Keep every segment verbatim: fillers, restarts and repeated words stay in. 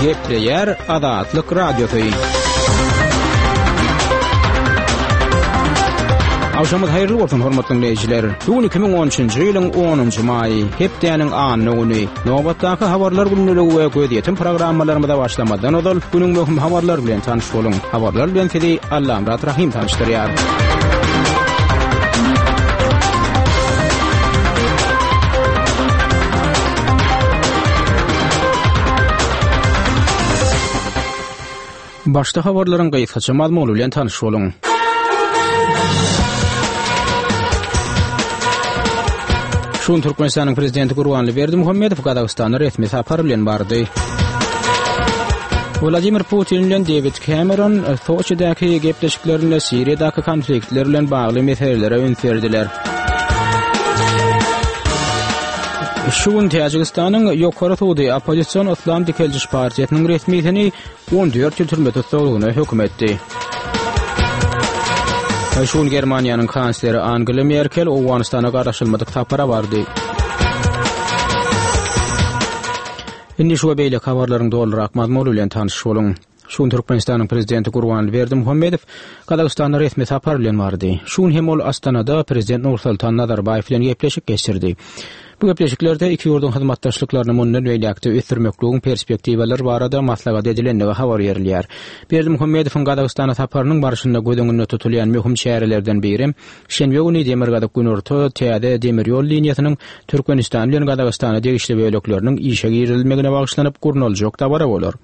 Gepleýär Azatlyk Radiosy. Agşamyz haýyrly bolsun hormatly dinleýjiler. Bu gün iki müň on üçünji ýylyň onunjy maýy, hepdäniň anna güni. Nobatdaky habarlar günlügi we gözýetim programmalarymyza başlamazdan ozal günüň möhüm habarlary bilen tanyş boluň. Habarlar bilen sizi Allamyrat Rahym tanyşdyrýar. Başda habarlaryň gysgaça mazmuny bilen tanyş boluň. Şu gün Türkmenistanyň Prezidenti Gurbanguly Berdimuhamedow Gazagystana resmi sapar bilen bardy. Wladimir Putin bilen Dewid Cameron Soçidäki gepleşiklerinde Siriýadaky konfliktler bilen bagly meselelere üns berdiler. Şu gün Täjigistanyň Ýokary sudy oppozision Yslam dikeldiş partiýasynyň resmisini on dört ýyl türme tussaglygyna höküm etdi. Şu gün Germaniýanyň kansleri Angela Merkel Owganystana garaşylmadyk sapara bardy. Indi şu we beýleki habarlaryň dolurak mazmuny bilen tanyş boluň. Şu gün Türkmenistanyň Prezidenti Gurbanguly Berdimuhamedow Gazagystana resmi sapar bilen bardy. Şu gün hem ol Astanada Prezident Nursultan Nazarbaýew bilen gepleşik geçirdi. Bu gepleşiklerde iki ýurduň hyzmatdaşlyklaryny mundan beýläk-de ösdürmekligiň perspektiwalary barada maslahat edilendigi habar berilýär. Berdimuhamedowyň Gazagystana saparynyň barşynda göz öňünde tutulýan möhüm çärelerden biri şenbe güni Demirgazyk-Günorta täze demir ýol liniýasynyň Türkmenistan bilen Gazagystana degişli bölekleriniň işe girizilmegine bagyşlanyp gurnaljak dabara bolar.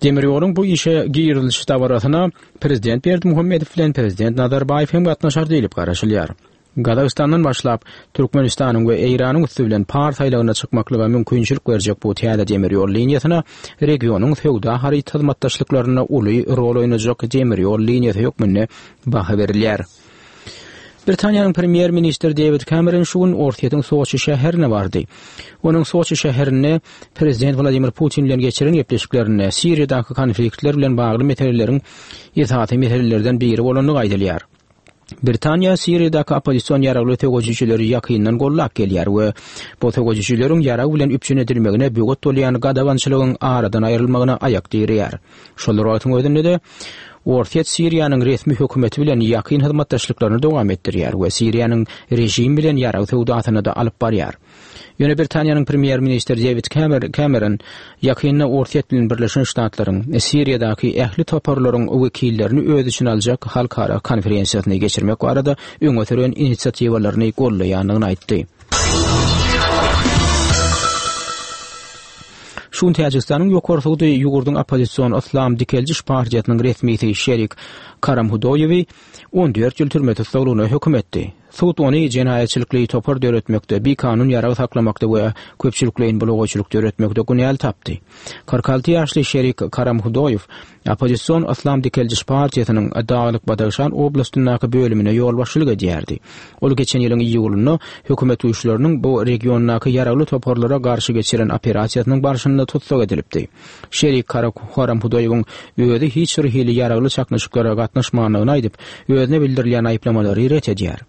Demir ýoluň bu işe giriziliş dabarasyna Prezident Berdimuhamedow bilen Prezident Nazarbaýew hem gatnaşar diýlip garaşylýar. Gazagystandan başlap, Türkmenistanyň we Eýranyň üsti bilen Pars aýlagyna çykmaklyga mümkinçilik berjek bu täze demir ýol liniýasyna regionyň söwda-haryt hyzmatdaşlyklarynda uly rol oýnajak demir ýol liniýasy hökmünde baha berilýär. Britaniýanyň premýer-ministri Dewid Cameron şu gün Orsýetiň Soçi şäherine bardy. Onuň Soçi şäherinde prezident Wladimir Putin bilen geçiren gepleşiklerinde Siriýadaky konfliktler bilen bagly meseleleriň esasy meselelerden biri bolandygy aýdylýar. Britaniýa Siriýadaky oppozision ýaragly söweşijileri ýakyndan gollap gelýär we bu söweşijileriň ýarag bilen üpjün edilmegine böwet bolýan gadagançylygyň aradan aýrylmagyna aýak direýär. Şol bir wagtyň özünde-de Orsýet Siriýanyň resmi hökümeti bilen ýakyn hyzmatdaşlyklaryny dowam etdirýär we Siriýanyň režim bilen ýarag söwdasyny-da alyp barýar. Ýöne Britaniýanyň premýer-ministri Dewid Cameron ýakynda Orsýet bilen Birleşen Ştatlaryň Siriýadaky ähli toparlaryň wekillerini öz içine aljak halkara konferensiýasyny geçirmek barada öňe süren inisiatiwalaryny gollaýandygyny aýtdy. Şu gün Täjigistanyň Ýokary sudy ýurduň oppozision Yslam dikeldiş partiýasynyň resmisi Şerik Karamhudoýewi on dört ýyl türme tussaglygyna höküm etdi. Sud ony jenaýatçylykly topar döretmekde, bikanun ýarag saklamakda we köpçülikleýin bulagaýçylyk döretmekde günäli tapdy. Kyrk alty ýaşly Şerik Karamhudoýew oppozision Yslam dikeldiş partiýasynyň Daglyk-Badagşan oblastyndaky bölümine ýolbaşçylyk edýärdi. Ol geçen ýylyň iýulynda hökümet güýçleriniň bu regiondaky ýaragly toparlara garşy geçiren operasiýasynyň barşynda tussag edilipdi. Şerik Karamhudoýewiň özi hiç bir hili ýaragly çaknyşyklara gatnaşmandygyny aýdyp, özüne bildirilýän aýyplamalary ret edýär.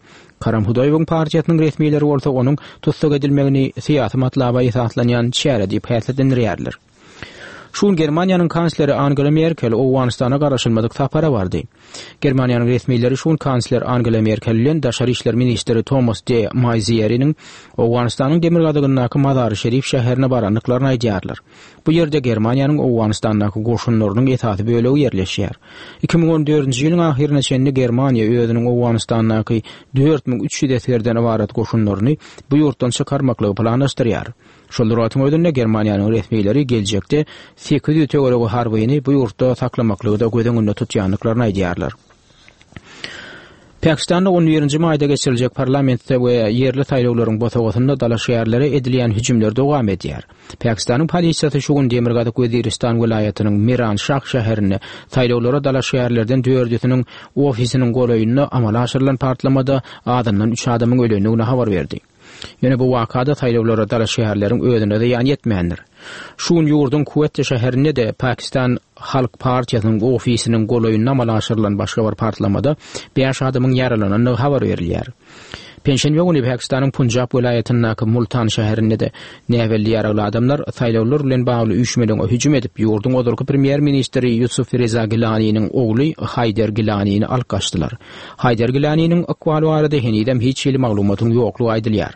Karamhudoýewiň partiýasynyň resmileri bolsa onuň tussag edilmegini syýasy matlaba esaslanýan çäre diýip häsiýetlendirýärler. Şu gün Germaniýanyň kansleri Angela Merkel Owganystana garaşylmadyk sapara bardy. Germaniýanyň resmileri şu gün kansler Angela Merkel bilen daşary işler ministri Thomas de Maizièriniň Owganystanyň demirgazygyndaky Mazary-Şerif şäherine barandyklaryny aýdýarlar. Bu ýerde Germaniýanyň Owganystandaky goşunlarynyň esasy bölegi ýerleşýär. Iki müň on dördünji ýylyň ahyryna çenli Germaniýa özüniň Owganystandaky dört müň üç ýüz esgerden ybarat goşunlaryny bu ýurtdan çykarmaklygy planlaşdyrýar. Şol bir wagtyň özünde Germaniýanyň resmileri geljekde sekiz ýüz töweregi harbyny bu ýurtda saklamaklygy-da göz öňünde tutýandyklaryny aýdýarlar. Pakistanda on birinji maýda geçiriljek parlamentde we ýerli saýlawlaryň bosagasynda dalaşgärlere edilýän hüjümler dowam edýär. Pakistanyň polisiýasy şu gün Demirgazyk Weziristan welaýatynyň Miran Şah şäherinde saýlawlara dalaşgärlerden dördüsiniň ofisiniň golaýynda amala aşyrylan partlamada azyndan üç adamyň ölendigini habar berdi. Ýöne bu wakada saýlawlara dalaşgärleriň özüne zyýan ýetmändir. Şu gün ýurduň Kuwet şäherinde-de Pakistan Halk partiýasynyň ofisiniň golaýynda amala aşyrylan başga bir partlamada bäş adamyň ýaralanandygy habar berilýär. Penşenbe güni Pakistanyň Punjab welaýatyndaky Multan şäherinde-de näbelli ýaragly adamlar saýlawlar bilen bagly üýşmeleňe hüjüm edip, ýurduň ozalky premýer-ministri Ýusuf Reza Gilaniniň ogly Haýder Gilanini alyp gaçdylar. Haýder Gilaniniň ykbaly barada henizem hiç hili maglumatyň ýoklugy aýdylýar.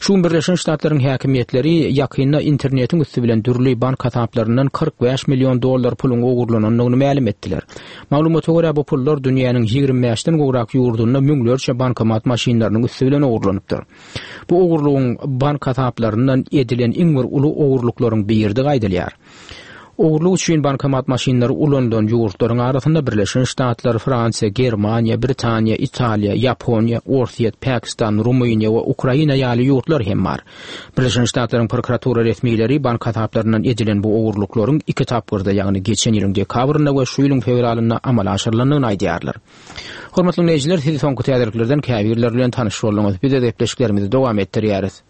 Şu gün Birleşen Ştatlaryň häkimiýetleri ýakynda internetiň üsti bilen dürli bank hasaplaryndan kyrk bäş million dollar puluň ogurlanandygyny mälim etdiler. Maglumata görä, bu pullar dünýäniň ýigrimi bäşden gowrak ýurdunda müňlerçe bankomat maşynlarynyň üsti bilen ogurlanypdyr. Bu ogurlygyň bank hasaplaryndan edilen iň bir uly ogurlyklaryň biridigi aýdylýar. Ogurlyk üçin bankomat maşynlary ulanylan ýurtlaryň arasynda Birleşen Ştatlar, Fransiýa, Germaniýa, Britaniýa, Italiýa, Ýaponiýa, Orsýet, Pakistan, Rumyniýa we Ukraina ýaly ýurtlar hem bar. Birleşen Ştatlaryň prokuratura resmileri bank hasaplaryndan edilen bu ogurlyklaryň iki tapgyrda, ýagny geçen ýylyň dekabrynda we şu ýylyň fewralynda amala aşyrylandygyny aýdýarlar. Hormatly diňleýjiler, siz soňky täzeliklerden käbirleri bilen tanyş bolduňyz. Biz öz gepleşiklerimizi dowam etdirýäris.